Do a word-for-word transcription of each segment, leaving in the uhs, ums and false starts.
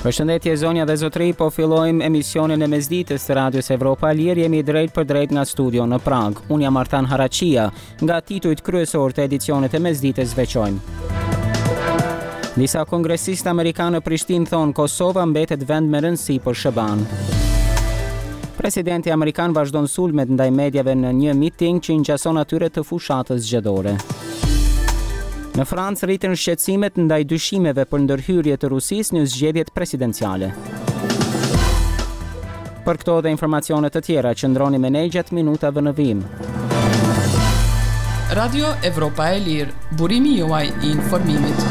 Përshëndetje zonja dhe zotëri, po fillojmë emisionin e mesditës të Radios Evropa e Lirë. Jemi drejt për drejt nga studio në Prag. Unë jam Artan Haraqia. Nga titujt kryesor të edicionit e mesditës veçojmë. Disa kongresistë amerikanë në Prishtinë thonë Kosova mbetet vend me rëndësi për S H B A-n. Presidenti amerikan vazhdon sulmet ndaj mediave në një miting që i ngjason atyre të fushatës zgjedhore. Në Francë rriten shqetësimet ndaj dyshimeve për ndërhyrje të Rusisë në zgjedhjet presidenciale. Për këto dhe informacione të tjera, qëndroni me ne gjatë minutave në vijim. Radio Evropa e Lirë, burimi juaj i informimit.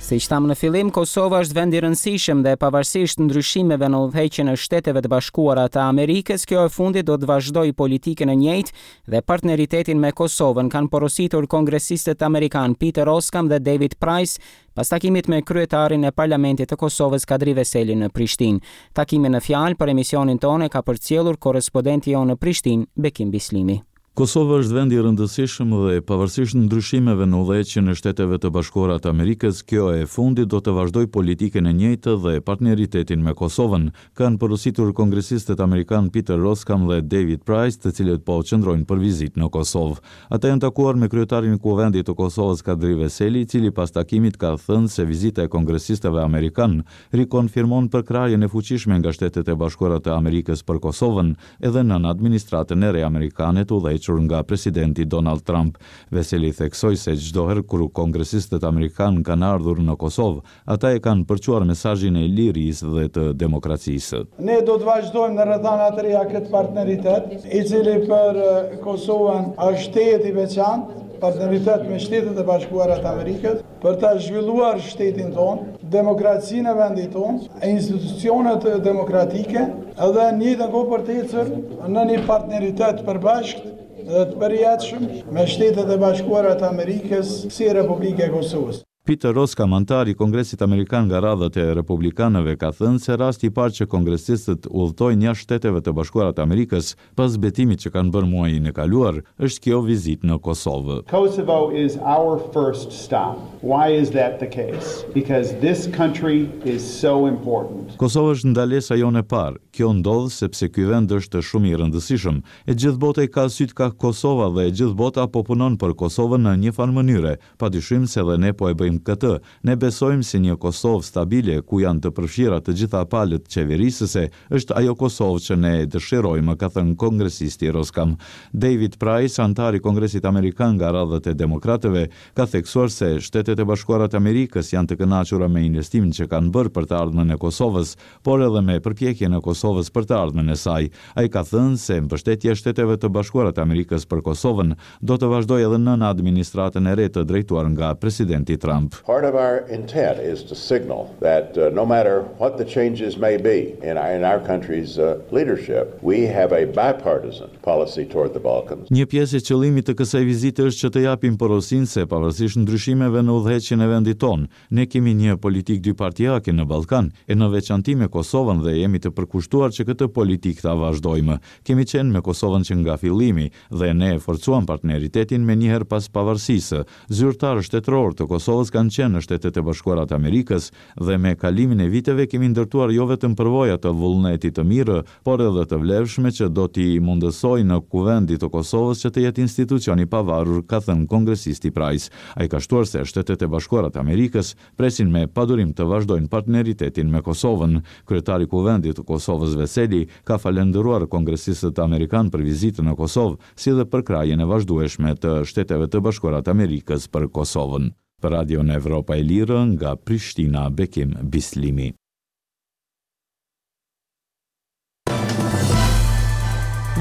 Si që thamë në fillim, Kosova është vend i rëndësishëm dhe pavarësisht ndryshimeve në udhëheqjen e Shteteve të Bashkuara të Amerikës, kjo e fundit do të vazhdojë politikën e njëjtë dhe partneritetin me Kosovën, kanë porositur kongresistët amerikanë Peter Roskam dhe David Price pas takimit me kryetarin e Parlamentit të Kosovës, Kadri Veseli, në Prishtinë. Takimin në fjalë për emisionin tonë e ka përcjellur korrespondenti jonë në Prishtinë, Bekim Bislimi. Kosova është vend i rëndësishëm dhe pavarësisht ndryshimeve në udhëheqjen e Shteteve të Bashkuara të Amerikës, kjo e fundit do të vazhdojë politikën e njëjtë dhe partneritetin me Kosovën, kanë porositur kongresistët amerikanë Peter Roskam dhe David Price, të cilët po qëndrojnë për vizitë në Kosovë. Ata janë takuar me kryetarin e Kuvendit të Kosovës, Kadri Veseli, i cili pas takimit ka thënë se vizita e kongresistëve amerikanë rikonfirmon përkrahjen e fuqishme nga Shtetet e Bashkuara të Amerikës për Kosovën, edhe nën administratën e re amerikane të udhëhequr nga presidenti Donald Trump. Veseli theksoi se çdo herë kur kongresistët amerikanë kanë ardhur në Kosovë, ata e kanë përçuar mesazhin e lirisë dhe të demokracisë. Ne do të vazhdojmë në rrethana të reja këtë partneritet, i cili për eh, Kosovën është tejet i veçantë, partneritet me Shtetet e Bashkuara të Amerikës, për ta zhvilluar shtetin tonë, demokracinë e vendit tonë, institucionet demokratike, edhe në njëjtën kohë për të ecur në një partneritet përbashkët dhe të përjetshëm me Shtetet e Bashkuara të Amerikës si Republika e Kosovës. Peter Roskam, anëtar i Kongresit Amerikan nga radhët e republikanëve, ka thënë se rasti i parë që kongresistët udhëtojnë jashtë Shteteve të Bashkuara të Amerikës pas betimit që kanë bërë muajin e kaluar, është kjo vizitë në Kosovë. Kosovo is our first stop. Why is that the case? Because this country is so important. Kosova është ndalesa jonë e parë. Kjo ndodh sepse ky vend është shumë i rëndësishëm. E gjithë bota i ka sytë ka Kosova dhe e gjithë bota po punon për Kosovën në një farë mënyre. Padyshim se edhe ne po e bëjmë këtë. Ne besojmë se një Kosovë stabile ku janë të përfshira të gjitha palët qeverisëse është ajo Kosovë që ne dëshirojmë, ka thënë kongresisti Roskam. David Price, anëtar i Kongresit Amerikan nga radhët e demokratëve, ka theksuar se Shtetet e Bashkuara të Amerikës janë të kënaqura me investimin që kanë bërë për të ardhmen e Kosovës, por edhe me përpjekjen e Kosovës për të ardhmen e saj. Ai ka thënë se mbështetja e Shteteve të Bashkuara të Amerikës për Kosovën do të vazhdojë edhe nën administratën e re të drejtuar nga presidenti Trump. Part of our intent is to signal that uh, no matter what the changes may be in our, in our country's uh, leadership, we have a bipartisan policy toward the Balkans. Një pjesë e qëllimit të kësaj vizite është që të japim porosinë se pavarësisht ndryshimeve në udhëheqjen e vendit tonë, ne kemi një politikë dypartiake në Ballkan, e në veçanti me Kosovën, dhe jemi të përkushtuar që këtë politikë ta vazhdojmë. Kemi qenë me Kosovën që nga fillimi dhe ne e forcuam partneritetin me njëherë pas pavarësisë. Zyrtarë shtetëror të Kosovës kanë qenë në Shtetet e Bashkuara të Amerikës dhe me kalimin e viteve kemi ndërtuar jo vetëm përvoja të vullnetit të mirë, por edhe të vlefshme që do t'i mundësojnë Kuvendit të Kosovës që të jetë institucion i pavarur, ka thënë kongresisti Price. Ai ka shtuar se Shtetet e Bashkuara të Amerikës presin me padurim të vazhdojnë partneritetin me Kosovën. Kryetari i Kuvendit të Kosovës, Veseli, ka falendëruar kongresistët amerikanë për vizitën në Kosovë, si dhe përkrahjen e vazhdueshme të Shteteve të Bashkuara të Amerikës për Kosovën. Për Radion Evropa e Lirë nga Prishtina, Bekim Bislimi.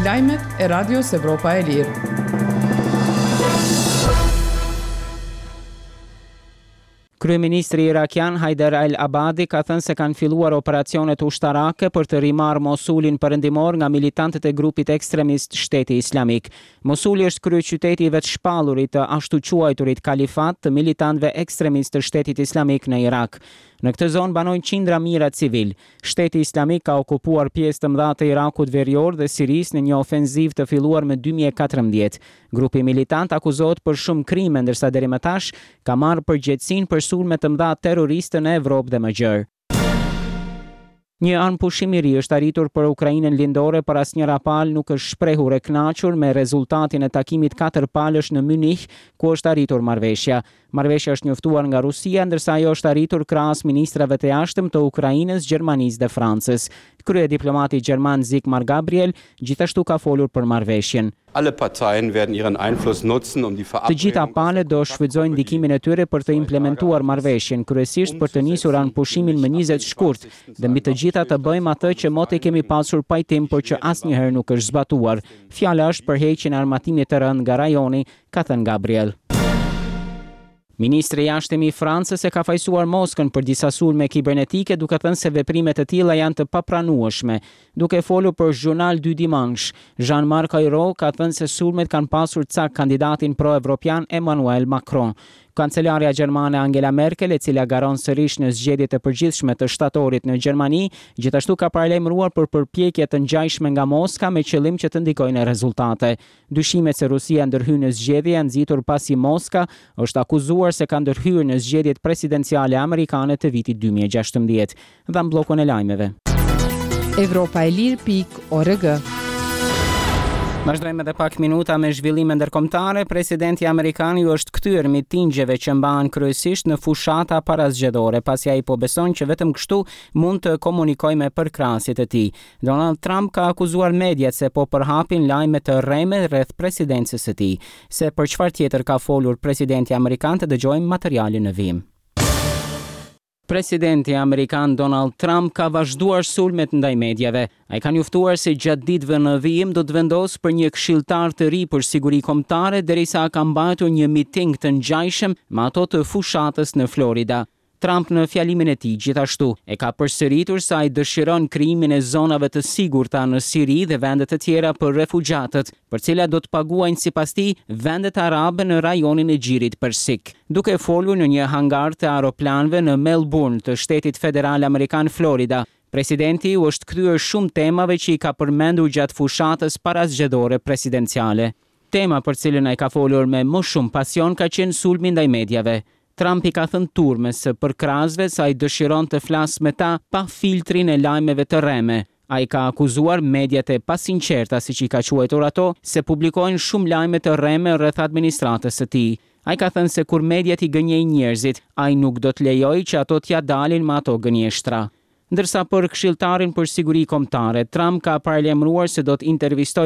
Lajmet e Radios Evropa e Lirë. Kryeministri irakian Haider al-Abadi ka thënë se kanë filluar operacionet ushtarake për të rimarrë Mosulin perëndimor nga militantët e grupit ekstremist Shteti Islamik. Mosuli është kryeqyteti i vetëshpallurit të ashtu quajturit kalifat të militantëve ekstremistë të Shtetit Islamik në Irak. Në këtë zonë banojnë qindra mijëra civil. Shteti Islamik ka okupuar pjesë të mëdha të Irakut verior dhe Sirisë në një ofenzivë të filluar më dy mijë e katërmbëdhjetë. Grupi militant akuzohet për shumë krime, ndërsa deri më tash ka marrë përgjegjësinë për sulme të mëdha terroriste në Evropë dhe më gjerë. Një armëpushim i ri është arritur për Ukrainën lindore, por asnjëra palë nuk është shprehur e kënaqur me rezultatin e takimit katër palësh në Munich, ku është arritur marrëveshja. Marrëveshja është njoftuar nga Rusia, ndërsa ajo është arritur krahas ministrave të jashtëm të Ukrainës, Gjermanisë dhe Francës. Kryediplomati gjerman Sigmar Gabriel gjithashtu ka folur për marrëveshjen. Alle Parteien werden ihren Einfluss nutzen, um die Të gjitha palët do shfrytëzojnë ndikimin e tyre për të implementuar marrëveshjen, kryesisht për të nisur armëpushimin më njëzet shkurt, dhe mbi të gjitha të bëjmë atë që moti kemi pasur pajtim, por që asnjëherë nuk është zbatuar. Fjala është për heqjen e armatimit të rëndë nga rajoni, ka thënë Gabriel. Ministri i Jashtëm i Francës e ka fajësuar Moskën për disa sulme kibernetike, duke thënë se veprimet e tilla janë të papranueshme. Duke folur për Journal du Dimanche, Jean-Marc Ayrault ka thënë se sulmet kanë pasur cak kandidatin pro-evropian Emmanuel Macron. Kancelarja gjermane Angela Merkel, e cila garon sërish në zgjedhjet e përgjithshme të shtatorit në Gjermani, gjithashtu ka paralajmëruar për përpjekje të ngjashme nga Moska me qëllim që të ndikojnë në rezultate. Dyshimet se Rusia ndërhyn në zgjedhje janë nxitur pasi Moska është akuzuar se ka ndërhyrë në zgjedhjet presidenciale amerikane të vitit dy mijë e gjashtëmbëdhjetë. Dhe bllokun e lajmeve. Evropa e lirë pikë org. Vazhdojmë edhe pak minuta me zhvillime ndërkombëtare. Presidenti amerikan ju është kthyer mitingjeve që mbahen kryesisht në fushata parazgjedhore, pasi ai po beson që vetëm kështu mund të komunikojë me përkrahësit e tij. Donald Trump ka akuzuar mediat se po përhapin lajme të rreme rreth presidencës së tij. Se për çfarë tjetër ka folur presidenti amerikan, të dëgjojmë materialin në vijim. Presidenti amerikan Donald Trump ka vazhduar sulmet ndaj mediave. Ai ka njoftuar se gjatë ditëve në vijim do të vendosë për një këshilltar të ri për siguri kombëtare, derisa ka mbajtur një miting të ngjashëm me ato të fushatës në Florida. Trump në fjalimin e tij gjithashtu e ka përsëritur se ai dëshiron krijimin e zonave të sigurta në Siri dhe vende të tjera për refugjatët, për cilat do të paguajnë sipas tij vendet arabe në rajonin e Gjirit Persik. Duke folur në një hangar të aeroplanëve në Melbourne të shtetit federal amerikan Florida, presidenti u është kthyer shumë temave që i ka përmendur gjatë fushatës parazgjedhore presidenciale. Tema për cilën ai ka folur me më shumë pasion ka qenë sulmi ndaj mediave. Trump i ka thënë turmës së përkrahësve se ai dëshiron të flasë me ta pa filtrin e lajmeve të rreme. Ai ka akuzuar mediat e pasinqerta, siç i ka quajtur ato, se publikojnë shumë lajme të rreme rreth administratës së tij. Ai ka thënë se kur mediat i gënjejnë njerëzit, ai nuk do të lejojë që ato t'ia dalin me ato gënjeshtra. Ndërsa për këshilltarin për siguri kombëtare, Trump ka paralajmëruar se do të intervistojë